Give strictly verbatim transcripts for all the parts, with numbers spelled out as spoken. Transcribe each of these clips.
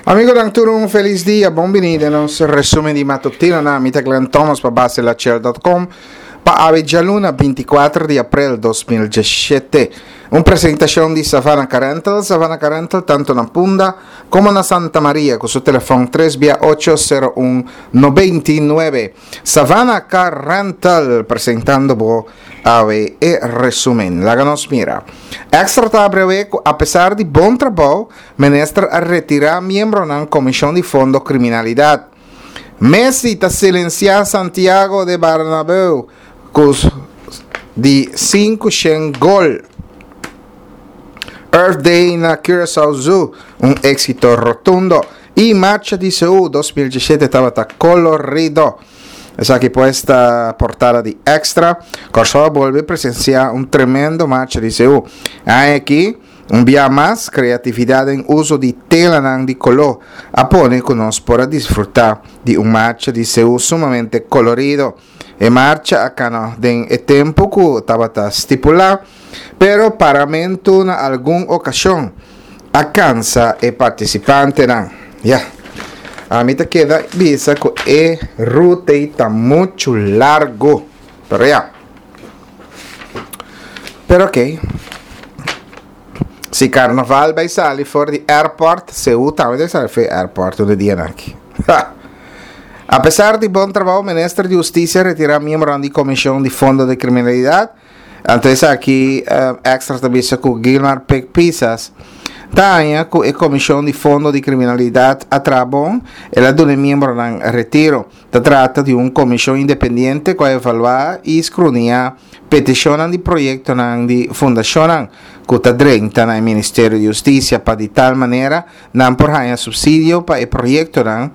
Amigonan tur un felis dia, bon bini den nos resumen di matutino na mi ta Glenn Thomas pa base lachel dot com pa awe djaluna binti kuater di aprel dos mil diesshete. Un presentacion di Savannah Car Rental, Savannah Car Rental tanto na Punda como na Santa Maria cu su telefon tres bia ocho sero un nobenta i nuebe. Savannah Car Rental presentando bo awe e resumen. Laga nos mira. Extra ta abre cu apesar di bon trabou, minister a retira miembronan Comision di Fondo Criminalidad. Messi ta silencia Santiago de Bernabéu cu di sinku shen gol. Earth Day na Curaçao Zoo, un éxito rotundo. Y marcha di Seú dos mil diesshete tabata colorido. Esaki pues ta portada di Extra. Kòrsou a bolbe presensiá un tremendo marcha di Seú. Aki, un bia mas, kreatividat den uso di telanan di koló a pone ku nos por a disfrutá di un marcha di Seú sumamente kolorido. E marcha a kana den e tempu ku tabata stipulá, pero paramentu na algun okashon a kansa e partisipantenan. Ya, ami ta keda bisa ku e ruta ei ta muchu largu, pero ya. Pero oké. Si karnaval bai sali for di airport, Seú tambe ta sali for di airport un di dianan aki. Ha! Apesar di bon trabou, minister di Hustisia retirá miembronan di Komishon di Fondo di Kriminalidat. Anto esaki Extra ta bisa ku Gilmar Pik Pisas ta haña ku e Komishon di Fondo di Kriminalidat a traha bon, el a duna e miembronan retiro. Ta trata di un komishon independiente ku a evaluá i skruniá petishonnan di proyektonan di fundashonnan ku ta drenta na e Ministerio di Hustisia pa di tal manera nan por haña supsidio pa e proyektonan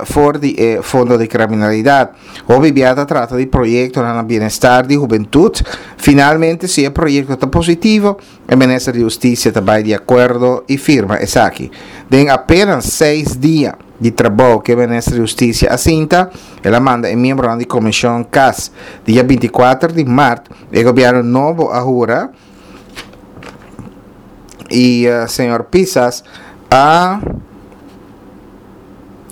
for di e Fondo di Kriminalidat. Hopi bia ta trata di proyektonan na bienestar di hubentut. Finalmente si e proyekto ta positivo, e Minister di Hustisia ta bai di akuerdo i firma esaki. Den apenas seis dia di trabou ku e Minister di Hustisia a sinta, el a manda e miembronan di Komishon kas. Dia binti kuater di mart e gobièrnu nobo a hura i señor Pisas a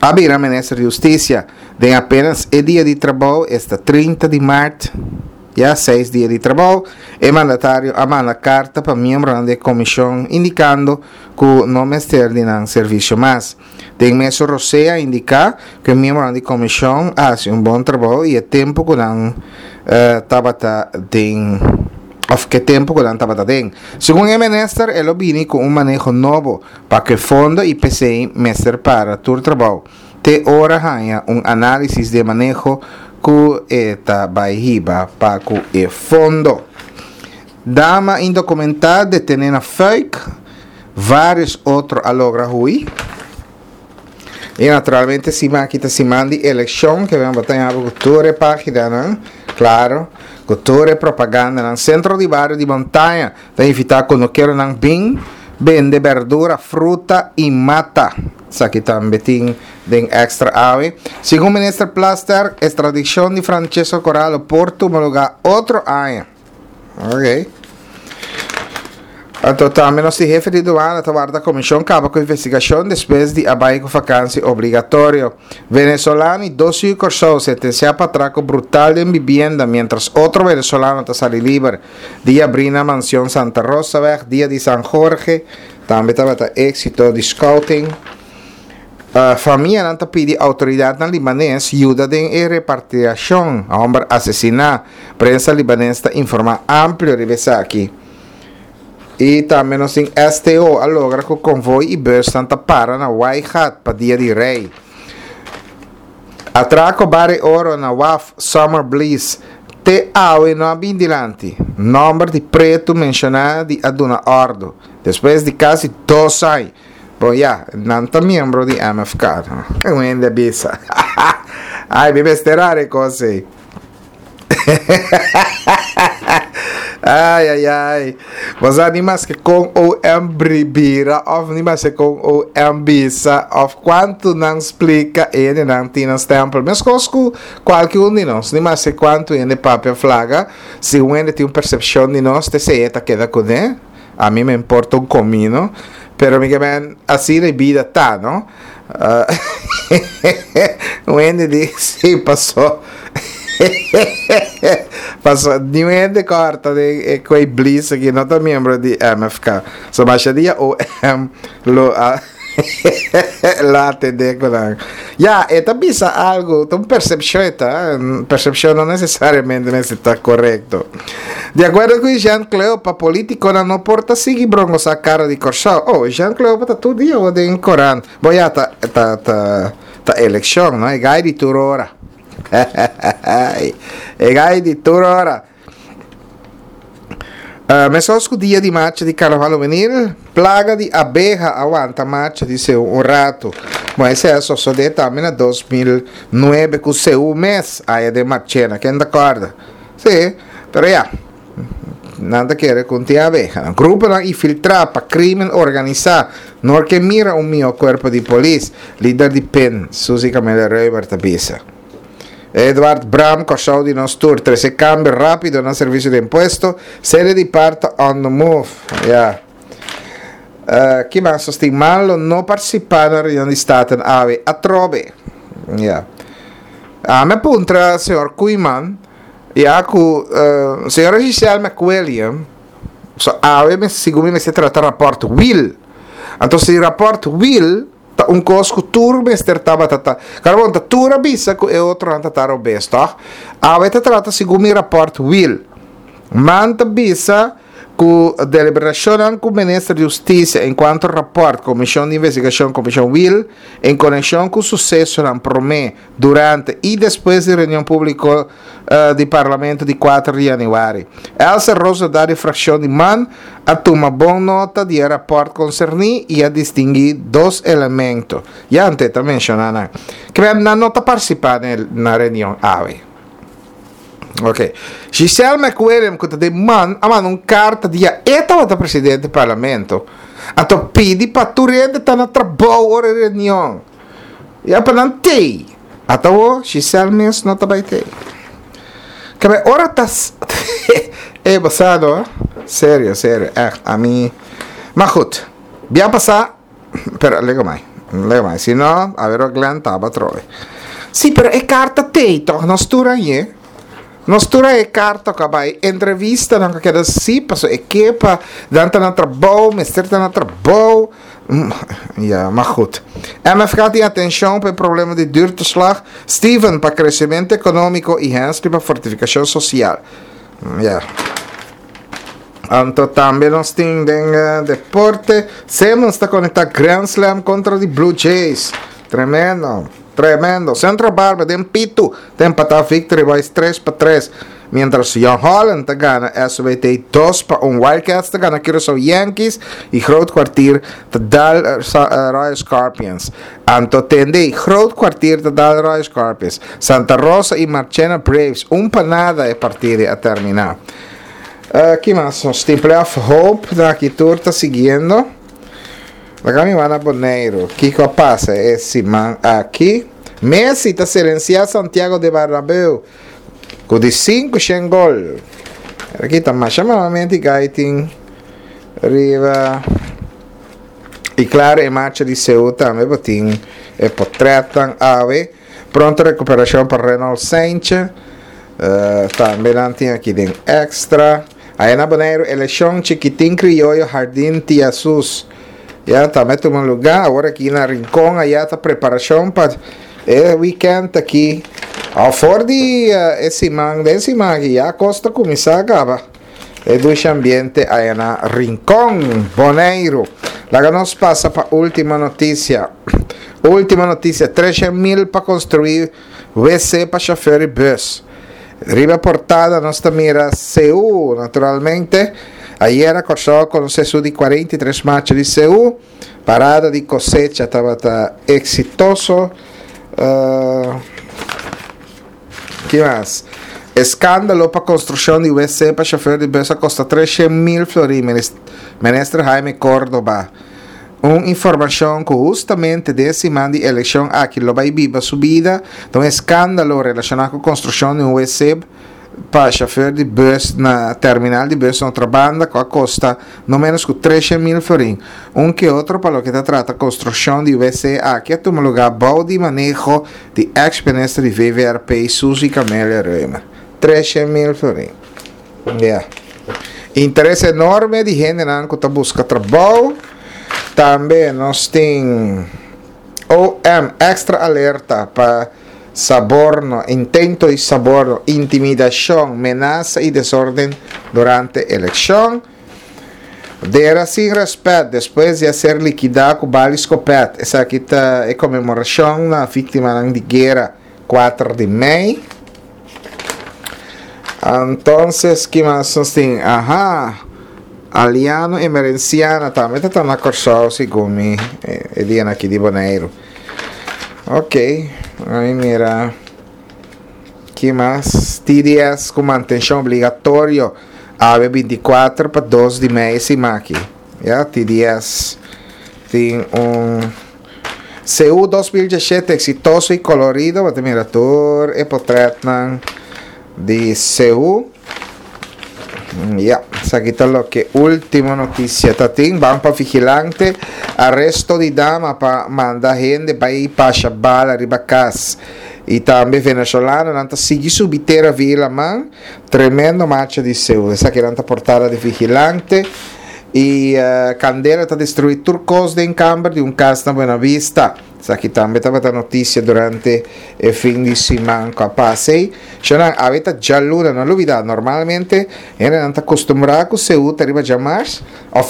a bira Minister di Hustisia. Den apenas e dia di trabou, esta trinta di mart, ya seis dia di trabou, e mandatario a manda karta pa miembronan di e komishon indikando ku no mester di nan servisio mas. Den mesun rosé a indiká ku e miembronan di komishon a hasi un bon trabou i e tempu ku nan tabata den òf ke tempu ku nan tabata den. Segun e minister e lo bini ku un maneho nobo pa ku e fondo i p'esei mester para tur trabou te ora haña un análisis di e maneho ku e ta bai hiba pa ku e fondo. Dama indokumentá detené na Fuik, vários otro a logra hui. I naturalmente siman aki ta siman di elekshon, ke bo ta haña bo ku tur e paginanan, klaro, ku tur e propagandanan. Sentro di Bario di Montaña ta invitá kunukeronan bin bende berdura, fruta i mata. Esaki tambe tin den Extra awe. Segun Minister Plasterk, estradikshon di Francesco Corallo por tuma lugá otro aña. Ok. Anto tambe nos di hefe di duana ta warda komishon kaba ku investigashon despues di a bai ku fakansi obligatorio. Venezolano i dos yu Kòrsou sentensiá pa atrako brutal den bibienda miéntras otro venezolano ta sali liber. Dia abrí na Mansion Santa Rosaweg, dia di San Jorge, tambe tabata éksito di scouting. Famianan ta pidi outoridatnan libanes yuda den e repartiashon hòmber asesiná. Prensa libanes ta informá amplio riba esaki. I tambe nos tin S T O a logra ku konvoi i busnan ta para na Waaigat pa dia di Rei. Atrako Barry Oro na waf Summer Bliss te awe no a bin dilanti. Nòmber di pretu menshoná di a duna òrdu. Despues di kasi dos aña. Bon ya, nan ta miembro di M F K. Un hende a bisa. Ai, mi mester a rekos ei. Ai, ai, ai. Bo sa ni maske kon O M bira of ni maske kon O M bisa of kuantu nan splika e hendenan tin nan stempel. Meskos ku kualke un di nos, ni maske kuantu hende papia flaga, si un hende tin un persepshon di nos, te esei e ta keda kuné. A mi me importa un komino. Pero mi ke men, asina e bida ta, no? Uh, un hende di, sí, pasó. Pasó, niun hende kòrta di e koi blis aki no ta miembro di M F K. So masha dia O M lo a lo atendé ku nan. Ya, e ta bisa algu, ta un persepshon ta, persepshon no nesesariamente mester ta korekto. Di akuerdo ku Jean Cleopa, polítikonan no por ta sigui brongosá kara di Kòrsou. Oh, Jean Cleopa ta tur dia den korant. Bo ya ta ta ta ta elekshon, no? E gai di tur ora. E gai di tur ora. Uh, meskos ku dia di marcha di Karnaval Hubenil, plaga di abeha a wanta marcha di Seú un ratu. Bon, esei a sosodé tambe na dos mil nuebe ku Seú mes, aya den Marchena, ken ta kòrda? Sí, pero ya, nan ta kere ku tin abeha. Gruponan infiltrá pa krímen organisá, no ke mira un mihó kuerpo di polis, lider di P I N, Suzy Camelia-Römer ta bisa. Eduard Bram, Kòrsou di nos tur, trese kambio rápido na servisio di impuesto, sede di par ta on the move. Ja. Uh, ki mas sostin lo no partisipá na reunion di Staten awe atrobe. Ja. Ah, mi a puntra señor Koeiman, ya ku uh, señora Giselle McWilliam, so awe me segun mi se trata rapport Wiel. Anto si rapport Wiel ta un kos ku tur mester tabata ta. Karo bon, ta tur a bisa ku e otronan ta robes, toch? Awe ta trata segun mi rapport Wiel. Man ta bisa ku deliberashon ku minister di Hustisia enkuanto rapport Komishon di Investigashon Komishon Wiel en konekshon ku susesonan promé, durante i despues di reunion públiko uh, di parlamento di kuater di yanüari. Elsa Rosa di frakshon di MAN a tuma bon nota di e rapport konserní i a distinguí dos elemento. Ya antes ta menshoná ku nan no ta partisipá na reunion awe. Ok. Giselle McWilliam, ku ta di MAN, a manda un karta dia e tabata presidente di parlamento. Anto pidi pa tur hende ta na trabou ora reunion. Ya pa nan tei. Ata o Giselle mes no ta bai tei. Kebe ora ta e basado, serio, serio, echt, ami. Maar goed, bia pasá, pero lego mai. Lego mai. Si no, a ver Glenn taba troe. Sí, pero e karta tei, toch nos tur a hañ'é. Nos tur a e karta ku a bai entrevista nan keda sí paso e ke pa nan ta na trabou, mester ta na trabou. Mm, Ja, maar goed. M F K tin atenshon pa e problema di huurtoeslag. Steven pa kresementu ekonómiko i Hensley pa fortifikashon sosial. Mm, Ja. Anto tambe nos tin den uh, deporte. Simmons ta konektá Grand Slam kontra di Blue Jays. Tremendo. Tremendo. Centro Barber den Pitu. Ta empatá Victory Boys tres pa tres. Mientras Young Holland ta gana S W T dos pa un. Wildcats ta gana Curaçao Yankees. I Groot Kwartier ta dal uh, Royal Scorpions. Anto tende Groot Kwartier ta dal Royal Scorpions. Santa Rosa i Marchena Braves. Un pa nada e partido a terminá. Uh, ki mas? Nos tin playoff hope aki tur ta siguiendo. Laga mi bai na Boneiru. Kiko a pasa e siman aki? Messi ta silensiá Santiago de Bernabéu ku di sinku shen gol. Aki ta mas malamente gaiting riba. I klaro, e marcha di Seú tambe tin e portrèt awe. Pronto rekuperashon pa Renault Sanchez. Uh, tambe nan tin aki den Extra. Ei na Boneiru, elekshon Chikitin Krioyo Jardín Tiasus. Ya tambe tuma lugá. Awor aki na Rincon, aya ta preparashon pa e weekend aki. For di uh, siman, den siman aki, ya kos ta kuminsá kaba. E dushi ambiente ei na Rincon, Boneiru. Laga nos pasa pa último notisia. Último notisia, tres mil pa konstruí W C pa shofùr di bùs. Riba portada nos ta mira Seú, naturalmente. Ayera Kòrsou a konosé su di kuarenta i tres marcha di Seú. Parada di kosecha tabata eksitoso. Uh, ki mas? Eskándalo pa konstrukshon di W C pa shofùr di bùs a kosta tres mil florin. Minister Jaime Córdoba. Un informashon ku hustamente den siman di elekshon aki lo bai biba su bida. Un eskándalo relashoná ku konstrukshon di un W C. Pa chauffeur di bus na terminal di bus na Otrabanda ku a kosta no menos ku tres mil florin. Un ke otro pa loke ta trata konstrukshon di W C aki a tuma lugá bou di maneho di ex-minister di V V R P Suzy Camelia Römer. tres mil florin. Yeah. Interes enorme di hendenan ku ta buska trabou. Tambe nos tin O M extra alerta pa soborno, intento di soborno, intimidashon, menasa i desorden durante elekshon. Dera sin rèspèt despues di a ser likidá ku bala di skopet. Esaki ta e konmemorashon na víktima di guera kuater di mei. Entonses, ki mas nos tin? Aha. Aliano Emerenciana tambe ta na Kòrsou, segun mi, e dia aki di Boneiru. Ok, ai mira. Ki mas? T D S ku mantenshon obligatorio. A B bintikuater pa dos di mei siman aki. Ya, T D S tin un C U dos mil diesshete eksitoso i kolorido. Bo mira tur e portrètnan di C U. Ya, esaki ta loke último notisia ta tin. Ban pa Vigilante. Aresto di dama pa manda hende bai basha bala riba kas. I tambe venezolanonan ta sigui subi tera via laman. Tremendo marcha di C U. Esaki ta portada di Vigilante. I uh, kandela ta destruí tur kos den kamber di un kas na Buena Vista. Esaki tambe tabata notisia durante e fin di siman ku a pasa. Shonnan, awe ta djaluna, no lubidá, normalmente, nan ta kustumbrá ku C U ta riba djamars, òf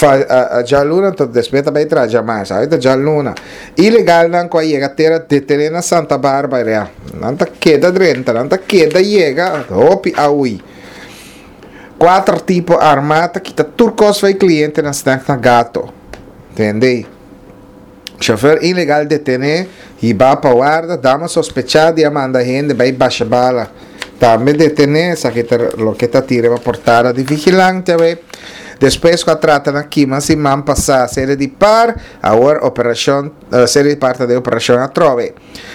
djaluna, anto despues tambe ta djamars, awe ta djaluna. Ilegalnan ku a yega tera detené na Santa Barbara, nan ta keda drenta, nan ta keda yega, hopi a hui. Kuater tipo armá ta kita tur kos fo'i kliente na snack na Gato. Entendé? Chauffeur ilegal detené, hibá pa warda, dama sospechá di a manda hende bai basha bala. Tambe detené, esaki ta loke ta tira pa portada di Vigilante, we. Despues ku a trata na kima siman pasá, sede di par, awor operashon, uh, sede di parti di operashon atrobe.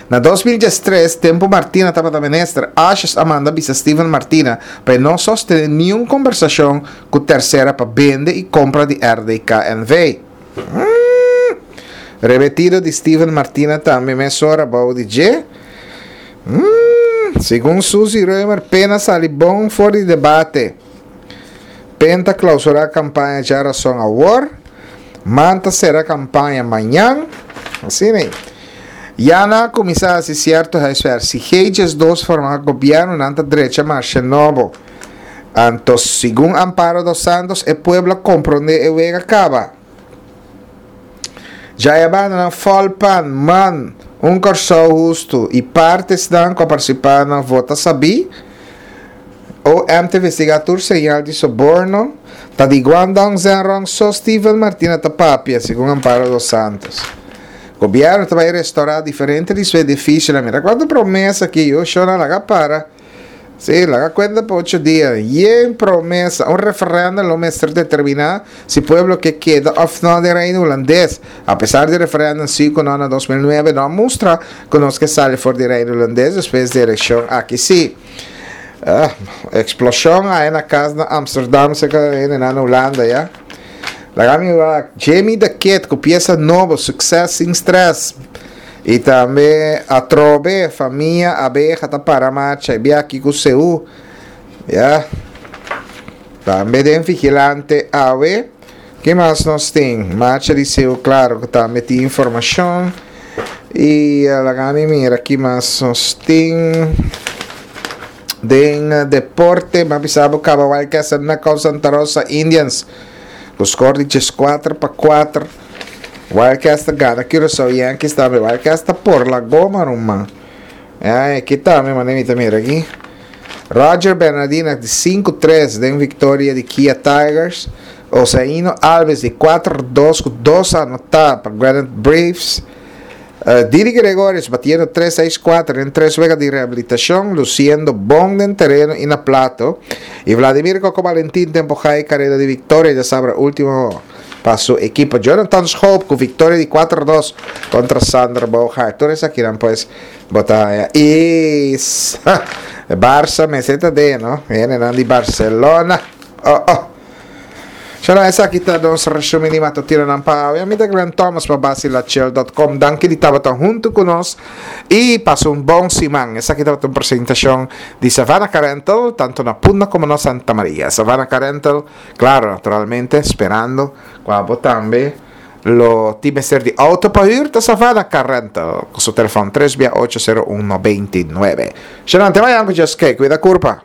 Na dos mil diestres, tempu Martina tabata minister, Asjes a manda bisa Steven Martina pa no sostené ningun kombersashon ku tersera pa bende i kompra di R D K N V. Mm. Rebatido di Steven Martina tambe mesora bou di dje. Mm. Segun Suzy Römer, Pen a sali bon for di debate. Pen ta klousurá kampaña djarason awor. Man ta sera kampaña mañan. Asina, ne? Ya nan a kuminsá hasi sierto huiswerk. Si G dos forma gobièrnu, nan ta drecha marshe nobo. Anto, segun Amparo dos Santos, e pueblo a komprondé e wega kaba. Ya bandanan Folpan, Man, Un Kòrsou Hustu i partidonan ku a partisipá na vota sabí. O M ta investigá tur señal di soborno. Ta di Guangdong Zhenrong so Steven Martina ta papia, segun Amparo dos Santos. Gobièrnu ta bai restourá diferente di su edifisio. Mira kuantu promesa aki, yo shona laga para. Sí, laga kuenta pa ocho dia. Yen promesa. Un referèndum lo mester determiná si pueblo ke keda òf no den Reino Hulandes. Apesar di referèndum sinku no na dos mil nuebe, no a mustra ku nos ke sali for di Reino Hulandes despues di elekshon aki sí. Ah, eksploshon ei na kas na Amsterdam, serka na Hulanda, ya. Laga mi Jamie the Kid ku piesa nobo, Success sin Stress. I tambe atrobe, famia Abeha ta para marcha, i aki ku C U. Ya. Tambe den Vigilante awe. Ki mas nos tin? Marcha di C U, klaro, ku tambe tin informashon. I laga mi mira ki mas nos tin. Den deporte, m'a bisa bo kaba, Wildcats na Santa Rosa Indians. E score di kuater pa kuater. Wildcats gana Curaçao Yankees tambe. Wildcats ta por la goma, ruman. E, aki tambe, mane mira aki. Roger Bernardina di sinku tres den viktoria di Kia Tigers. Osaino Alves di kuater dos ku dos anotá pa Granite Braves. Uh, Didi Gregorius batiendo tres seis kuater den tres wega di rehabilitashon, lusiendo bon den tereno i na plato. I Vladimir Coco Valentín tempo high karera di viktoria, ya sabe, último Pa su ekipo. Jonathan Schoop ku viktoria di kuater dos kontra Sander Bogaert. Tur esakinan pues bo ta haya. I Barça mester ta den, no? Hendenan di Barcelona. Oh, oh. Shana, esaki ta nos resumen di matutinonan pa awe. Ami ta Glenn Thomas pa Basilachel punto com. Danki di tabata huntu ku nos i pasa un bon siman. Esaki tabata un presentashon di Savannah Car Rental, tantu na Punda komo na Santa Maria. Savannah Car Rental, klaro, naturalmente, sperando ku abo tambe lo tin mester di auto pa hür, ta Savannah Car Rental, ku su telefòn tres bia ocho sero un noventa i nuebe. Shana, te mañan ku Dios ke. Kuida kurpa.